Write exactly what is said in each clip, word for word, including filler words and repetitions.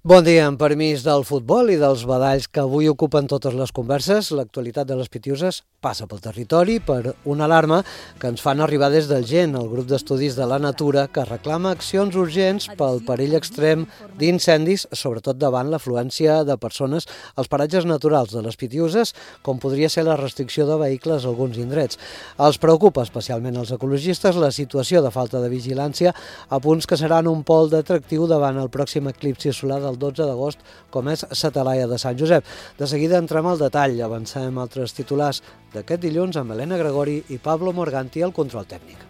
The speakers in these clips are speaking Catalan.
Bon dia, amb permís del futbol i dels badalls que avui ocupen totes les converses, l'actualitat de les Pitiuses passa pel territori per una alarma que ens fan arribar des del G E N, el grup d'estudis de la natura, que reclama accions urgents pel perill extrem d'incendis, sobretot davant l'afluència de persones als paratges naturals de les Pitiuses, com podria ser la restricció de vehicles a alguns indrets. Els preocupa especialment als ecologistes la situació de falta de vigilància a punts que seran un pol d'atractiu davant el pròxim eclipsi solar del dotze d'agost, com és Sa Talaia de Sant Josep. De seguida entrem al detall, avancem altres titulars d'aquest dilluns amb Helena Gregori i Pablo Morganti al control tècnic.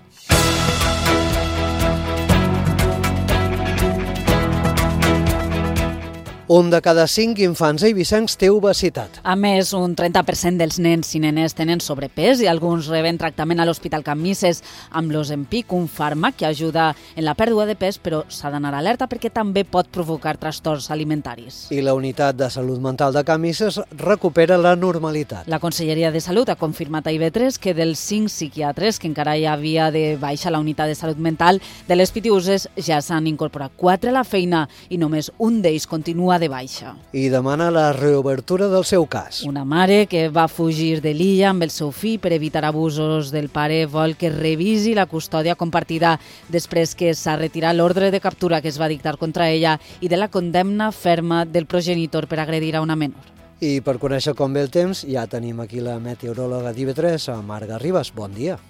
Un de cada cinc infants eivissencs té obesitat. A més, un trenta per cent dels nens i nenes tenen sobrepès i alguns reben tractament a l'Hospital Can Misses amb l'Ozempic, un fàrmac que ajuda en la pèrdua de pes, però s'ha d'anar alerta perquè també pot provocar trastorns alimentaris. I la unitat de salut mental de Can Misses recupera la normalitat. La Conselleria de Salut ha confirmat a I V tres que dels cinc psiquiatres que encara hi havia de baixa a la unitat de salut mental de les Pitiuses ja s'han incorporat quatre a la feina i només un d'ells continua de baixa. I demana la reobertura del seu cas. Una mare que va fugir de l'illa amb el seu fill per evitar abusos del pare vol que revisi la custòdia compartida després que s'ha retirat l'ordre de captura que es va dictar contra ella i de la condemna ferma del progenitor per agredir a una menor. I per conèixer com ve el temps, ja tenim aquí la meteoròloga d'I V tres, Marga Ribas. Bon dia.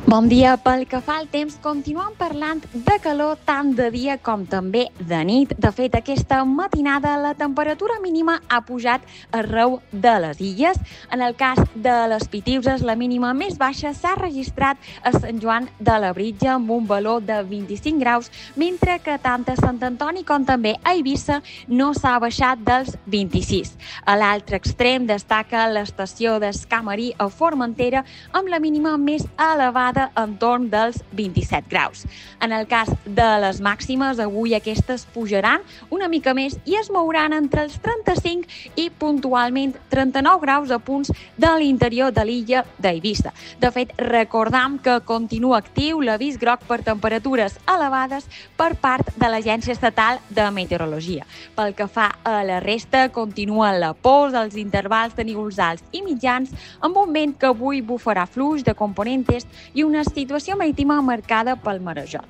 Bon dia. Pel que fa al temps, continuem parlant de calor tant de dia com també de nit. De fet, aquesta matinada la temperatura mínima ha pujat arreu de les illes. En el cas de les Pitiuses, la mínima més baixa s'ha registrat a Sant Joan de Labritja amb un valor de vint-i-cinc graus, mentre que tant a Sant Antoni com també a Eivissa no s'ha baixat dels vint-i-sis. A l'altre extrem destaca l'estació d'Escamarí a Formentera amb la mínima més elevada entorn dels vint-i-set graus. En el cas de les màximes, avui aquestes pujaran una mica més i es mouran entre els trenta-cinc i puntualment trenta-nou graus a punts de l'interior de l'illa d'Eivissa. De fet, recordam que continua actiu l'avís groc per temperatures elevades per part de l'Agència Estatal de Meteorologia. Pel que fa a la resta, continua la pols als intervals de nívols alts i mitjans amb un vent que avui bufarà fluix de component est i una situació marítima marcada pel marejol.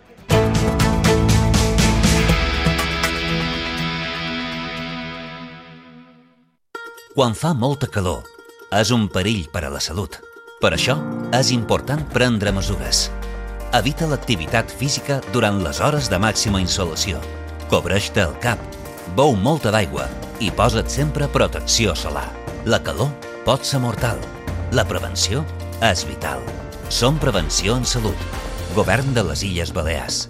Quan fa molta calor, és un perill per a la salut. Per això, és important prendre mesures. Evita l'activitat física durant les hores de màxima insolació. Cobreix-te el cap, beu molta d'aigua i posa't sempre protecció solar. La calor pot ser mortal. La prevenció és vital. Som Prevenció en Salut. Govern de les Illes Balears.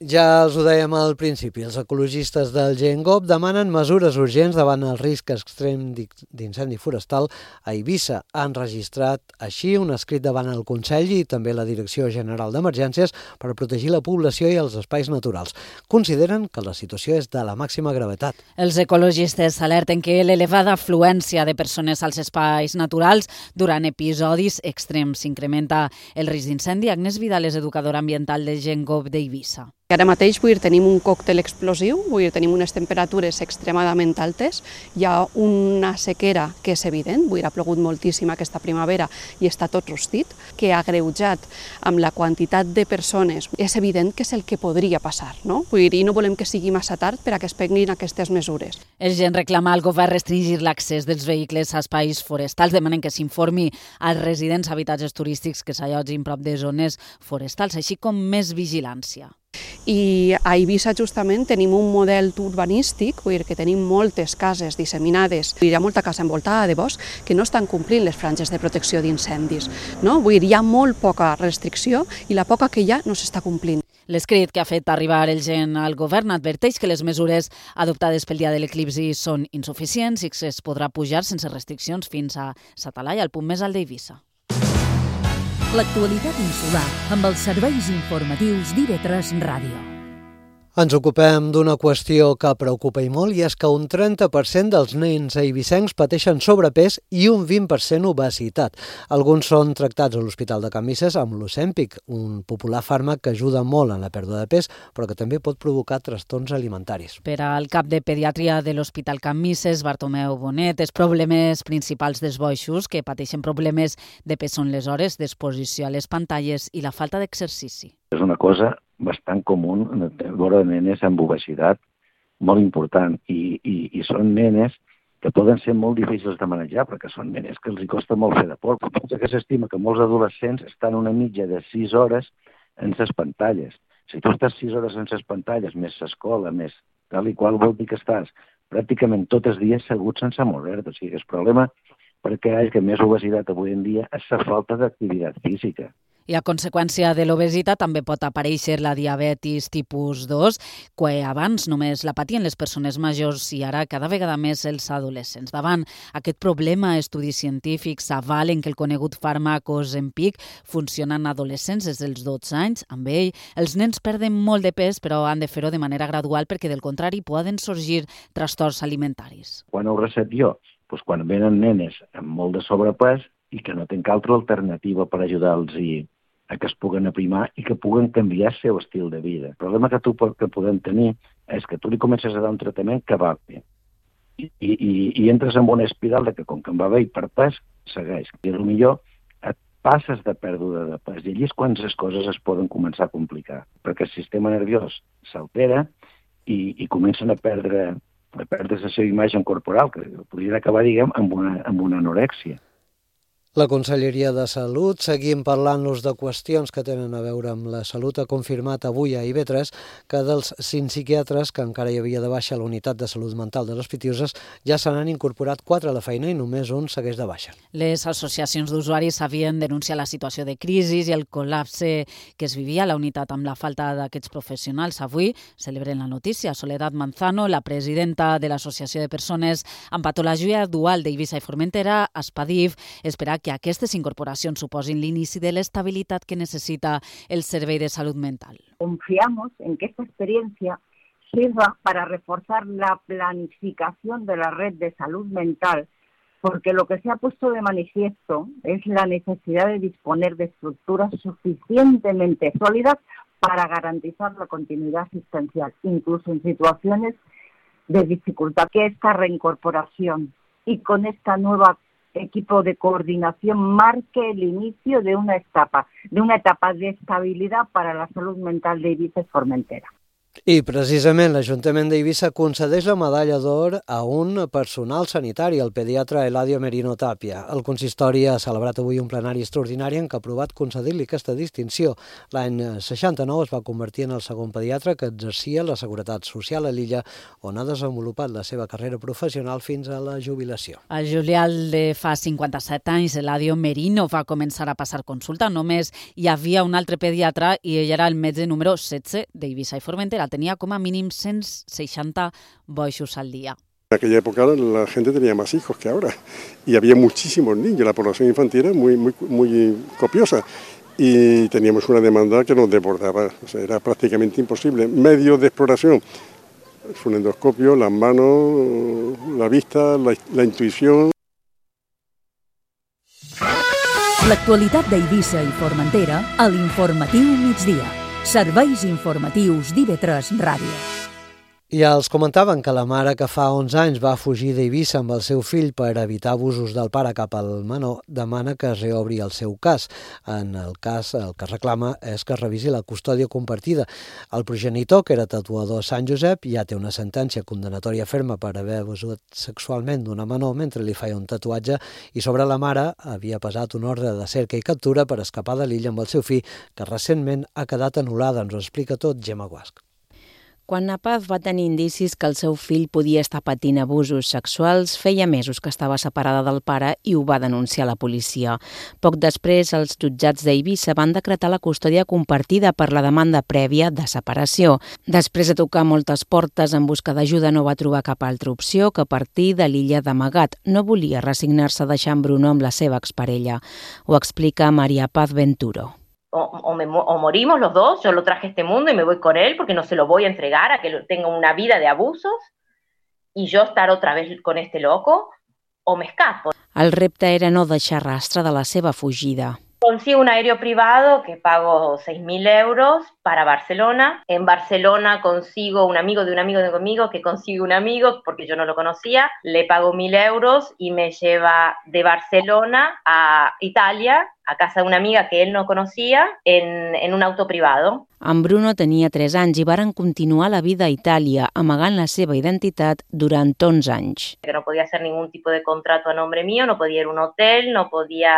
Ja els ho dèiem al principi, els ecologistes del G E N G O P demanen mesures urgents davant el risc extrem d'incendi forestal a Eivissa. Han registrat així un escrit davant el Consell i també la Direcció General d'Emergències per protegir la població i els espais naturals. Consideren que la situació és de la màxima gravetat. Els ecologistes alerten que l'elevada afluència de persones als espais naturals durant episodis extrems incrementa el risc d'incendi. Agnès Vidal és educadora ambiental del G E N G O P d'Eivissa. Ara mateix vull dir, tenim un còctel explosiu, vull dir, tenim unes temperatures extremadament altes, hi ha una sequera que és evident, vull dir, ha plogut moltíssim aquesta primavera i està tot rostit, que ha agreujat amb la quantitat de persones, és evident que és el que podria passar, no? Vull dir, i no volem que sigui massa tard per a que es prenguin aquestes mesures. El G E N reclama al govern restringir l'accés dels vehicles a espais forestals, demanen que s'informi als residents a habitatges turístics que s'allotgin prop de zones forestals, així com més vigilància. I a Eivissa justament tenim un model urbanístic, vull dir que tenim moltes cases disseminades, hi ha molta casa envoltada de bosc que no estan complint les franges de protecció d'incendis, no? Vull dir, hi ha molt poca restricció i la poca que hi ha no s'està complint. L'escrit que ha fet arribar el G E N al govern adverteix que les mesures adoptades pel dia de l'eclipsi són insuficients i que es podrà pujar sense restriccions fins a Sa Talaia, el punt més alt d'Eivissa. L'actualitat insular amb els serveis informatius d'I V tres Ràdio. Ens ocupem d'una qüestió que preocupa i molt, i és que un trenta per cent dels nens eivissencs pateixen sobrepès i un vint per cent obesitat. Alguns són tractats a l'Hospital de Can Misses amb l'Ozempic, un popular fàrmac que ajuda molt en la pèrdua de pes, però que també pot provocar trastorns alimentaris. Per al cap de pediatria de l'Hospital Can Misses, Bartomeu Bonet, els problemes principals dels boixos que pateixen problemes de pes són les hores d'exposició a les pantalles i la falta d'exercici. És una cosa bastant comú veure nenes amb obesitat, molt important, i, i, i són nenes que poden ser molt difícils de manejar, perquè són nenes que els hi costa molt fer de por. Pensa que s'estima que molts adolescents estan una mitja de sis hores en les pantalles. Si tu estàs sis hores en les pantalles, més l'escola, més tal i qual, vol dir que estàs pràcticament tots els dies segut sense moure-te. O sigui, el problema perquè hi ha més obesitat avui en dia és la falta d'activitat física. I a conseqüència de l'obesitat també pot aparèixer la diabetis tipus dos, que abans només la patien les persones majors i ara cada vegada més els adolescents. Davant aquest problema, estudis científics avalen que el conegut fàrmac Ozempic funciona en adolescents des dels dotze anys. Amb ell, els nens perden molt de pes, però han de fer-ho de manera gradual perquè, del contrari, poden sorgir trastorns alimentaris. Quan ho recet jo? Doncs quan venen nenes amb molt de sobrepès i que no tenen altra alternativa per ajudar-los a que es puguen aprimar i que puguen canviar el seu estil de vida. El problema que tu que podem tenir és que tu li comences a dar un tractament que va bé. I, i, i entres en una espiral de que com que em va bé i per pes, segueix. I potser et passes de pèrdua de pes i allí és quan les coses es poden començar a complicar, perquè el sistema nerviós s'altera i, i comencen a perdre, a perdre la seva imatge corporal, que podria acabar, diguem, amb una, amb una anorèxia. La Conselleria de Salut, seguim parlant-nos de qüestions que tenen a veure amb la salut, ha confirmat avui a I V tres que dels cinc psiquiatres que encara hi havia de baixa a la unitat de salut mental de les Pitiuses ja se n'han incorporat quatre a la feina i només un segueix de baixa. Les associacions d'usuaris havien denunciat la situació de crisi i el col·lapse que es vivia a la unitat amb la falta d'aquests professionals. Avui celebren la notícia. Soledad Manzano, la presidenta de l'Associació de Persones amb Patologia Dual d'Eivissa i Formentera, Aspadif, espera que aquestes incorporacions suposin l'inici de l'estabilitat que necesita el Servei de Salud Mental. Confiamos en que esta experiencia sirva para reforzar la planificación de la red de salud mental, porque lo que se ha puesto de manifiesto es la necesidad de disponer de estructuras suficientemente sólidas para garantizar la continuidad asistencial, incluso en situaciones de dificultad. Que esta reincorporación y con esta nueva equipo de coordinación marque el inicio de una etapa, de una etapa de estabilidad para la salud mental de Eivissa i Formentera. I precisament l'Ajuntament d'Eivissa concedeix la medalla d'or a un personal sanitari, el pediatre Eladio Merino Tapia. El consistori ha celebrat avui un plenari extraordinari en què ha aprovat concedir-li aquesta distinció. L'any seixanta-nou es va convertir en el segon pediatre que exercia la Seguretat Social a l'illa, on ha desenvolupat la seva carrera professional fins a la jubilació. Al juliol de fa cinquanta-set anys, Eladio Merino va començar a passar consulta. Només hi havia un altre pediatre i ell era el metge número setze d'Eivissa i Formentera. Tenía como mínimo ciento sesenta boixos al día. En aquella época la gente tenía más hijos que ahora y había muchísimos niños, la población infantil era muy, muy, muy copiosa y teníamos una demanda que nos desbordaba, o sea, era prácticamente imposible. Medios de exploración, un endoscopio, las manos, la vista, la, la intuición. L'actualitat d'Eivissa i Formentera a l'Informatiu Migdia. Serveis informatius d'I V tres Ràdio. Ja els comentaven que la mare que fa onze anys va fugir d'Eivissa amb el seu fill per evitar abusos del pare cap al menor demana que es reobri el seu cas. En el cas, el que reclama és que es revisi la custòdia compartida. El progenitor, que era tatuador a Sant Josep, ja té una sentència condenatòria ferma per haver abusat sexualment d'una menor mentre li feia un tatuatge, i sobre la mare havia pesat un ordre de cerca i captura per escapar de l'illa amb el seu fill, que recentment ha quedat anul·lada. Ens ho explica tot Gemma Guasc. Quan la Paz va tenir indicis que el seu fill podia estar patint abusos sexuals, feia mesos que estava separada del pare i ho va denunciar a la policia. Poc després, els jutjats d'Eivissa van decretar la custòdia compartida per la demanda prèvia de separació. Després de tocar moltes portes en busca d'ajuda, no va trobar cap altra opció que partir de l'illa d'amagat. No volia resignar-se a deixar en Bruno amb la seva exparella. Ho explica Maria Paz Venturo. o, o, me, o morimos los dos, yo lo traje a este mundo y me voy con él porque no se lo voy a entregar a que tenga una vida de abusos y yo estar otra vez con este loco, o me escapo. El repte era no deixar rastre de la seva fugida. Consigo un aéreo privado que pago seis mil euros para Barcelona. En Barcelona consigo un amigo de un amigo de conmigo que consigue un amigo porque yo no lo conocía. Le pago mil euros y me lleva de Barcelona a Italia, a casa de una amiga que él no conocía, en, en un auto privado. En Bruno tenia tres anys i varen continuar la vida a Itàlia, amagant la seva identitat durant onze anys. Que no podía hacer ningún tipo de contrato a nombre mío, no podía ir a un hotel, no podía,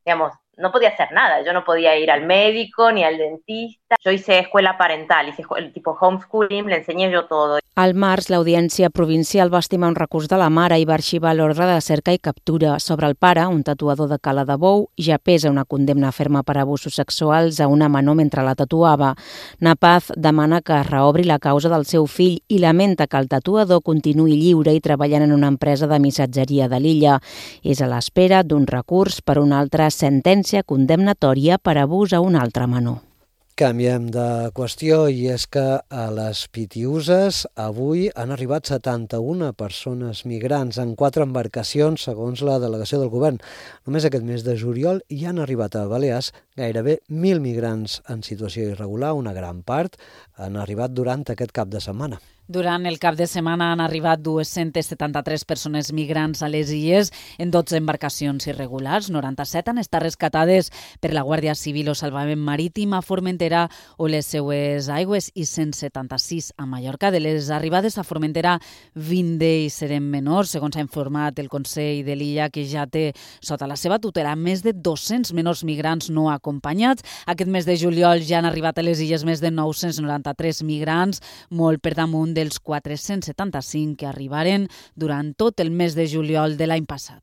digamos, no podía hacer nada. Yo no podía ir al médico ni al dentista. Yo hice escuela parental, hice el tipo homeschooling, le enseñé yo todo. Al març, l'Audiència Provincial va estimar un recurs de la mare i va arxivar l'ordre de cerca i captura. Sobre el pare, un tatuador de Cala de Bou, ja pesa una condemna ferma per abusos sexuals a una menor mentre la tatuava. Napaz demana que es reobri la causa del seu fill i lamenta que el tatuador continuï lliure i treballant en una empresa de missatgeria de l'illa. És a l'espera d'un recurs per una altra sentència condemnatòria per abús a un altre menor. Canviem de qüestió i és que a les Pitiüses avui han arribat setanta-una persones migrants en quatre embarcacions, segons la delegació del govern. Només aquest mes de juliol hi han arribat a Balears gairebé mil migrants en situació irregular, una gran part han arribat durant aquest cap de setmana. Durant el cap de setmana han arribat dues-centes setanta-tres persones migrants a les illes en dotze embarcacions irregulars. noranta-set han estat rescatades per la Guàrdia Civil o Salvament Marítim a Formentera o les seues aigües i cent setanta-sis a Mallorca. De les arribades a Formentera, vint d'ells serem menors, segons ha informat el Consell de l'illa, que ja té sota la seva tutela més de dos-cents menors migrants no acompanyats. Aquest mes de juliol ja han arribat a les illes més de nou-cents noranta-tres migrants, molt per damunt dels quatre-cents setanta-cinc que arribaren durant tot el mes de juliol de l'any passat.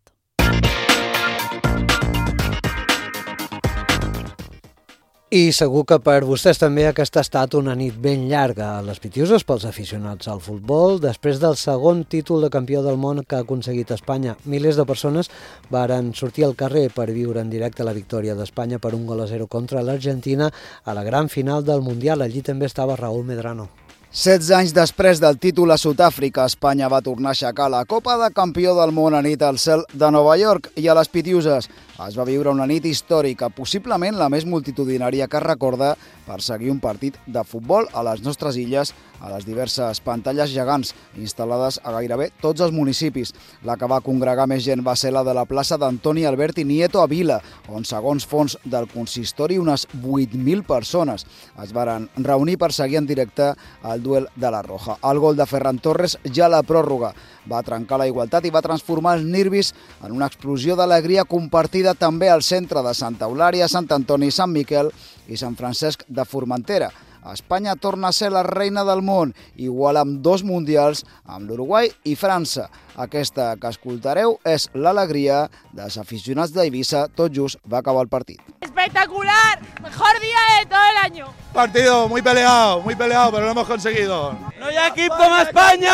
I segur que per vostès també aquesta ha estat una nit ben llarga a les Pitiüses pels aficionats al futbol. Després del segon títol de campió del món que ha aconseguit Espanya, milers de persones varen sortir al carrer per viure en directe la victòria d'Espanya per un gol a zero contra l'Argentina a la gran final del Mundial. Allí també estava Raúl Medrano. setze anys després del títol a Sud-àfrica, Espanya va tornar a aixecar la Copa de Campió del Món a nit al cel de Nova York i a les Pitiüses. Es va viure una nit històrica, possiblement la més multitudinària que es recorda per seguir un partit de futbol a les nostres illes, a les diverses pantalles gegants instal·lades a gairebé tots els municipis. La que va congregar més gent va ser la de la plaça d'Antoni Alberti Nieto a Vila, on, segons fons del consistori, unes vuit mil persones es varen reunir per seguir en directe el duel de la Roja. El gol de Ferran Torres, ja a la pròrroga, va trencar la igualtat i va transformar els nervis en una explosió d'alegria compartida també al centre de Santa Eulària, Sant Antoni, Sant Miquel i Sant Francesc de Formentera. Espanya torna a ser la reina del món, igual amb dos mundials amb l'Uruguai i França. Aquesta que escoltareu és l'alegria dels aficionats d'Eivissa. Tot just va acabar el partit. ¡Espectacular! ¡Mejor día de todo el año! Partido muy peleado, muy peleado, pero lo hemos conseguido. ¡No hay equipo como España!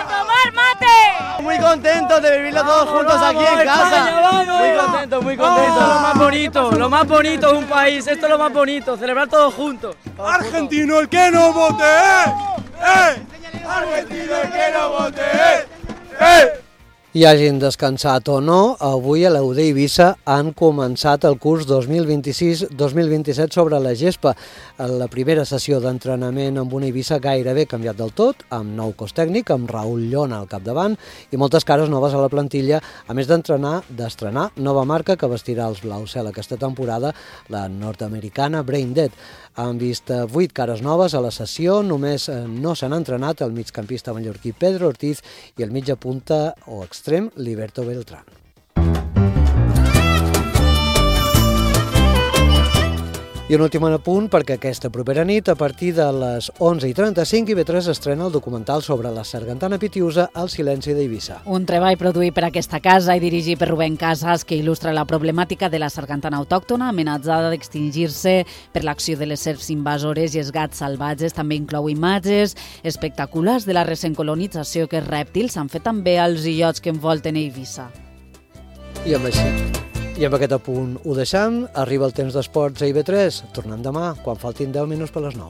¡Tomar mate! Muy contentos de vivirlo todos juntos aquí en casa. Muy contentos, muy contentos. Lo más bonito, lo más bonito de un país. Esto es lo más bonito, celebrar todos juntos. Argentino, el que no vote, ¡eh! Argentino, el que no vote, ¡eh! I hagin descansat o no, avui a l'U D Eivissa han començat el curs dos mil vint-i-sis dos mil vint-i-set sobre la gespa. La primera sessió d'entrenament amb una Eivissa gairebé canviat del tot, amb nou cos tècnic, amb Raül Llona al capdavant i moltes cares noves a la plantilla, a més d'entrenar, d'estrenar nova marca que vestirà els blau cel aquesta temporada, la nord-americana Brain Dead. Han vist vuit cares noves a la sessió, només no s'han entrenat el migcampista mallorquí Pedro Ortiz i el mitja punta o extrem Liberto Beltrán. I un últim apunt, perquè aquesta propera nit, a partir de les onze i trenta-cinc, I V tres estrena el documental sobre la sargantana pitiusa El silenci d'Eivissa. Un treball produït per aquesta casa i dirigit per Rubén Casas que il·lustra la problemàtica de la sargantana autòctona amenaçada d'extingir-se per l'acció de les serps invasores i els gats salvatges. També inclou imatges espectaculars de la recent colonització que els rèptils han fet també als illots que envolten Eivissa. I amb així... I amb aquest apunt ho deixam. Arriba el temps d'esports a I V tres. Tornem demà, quan faltin deu minuts per les nou.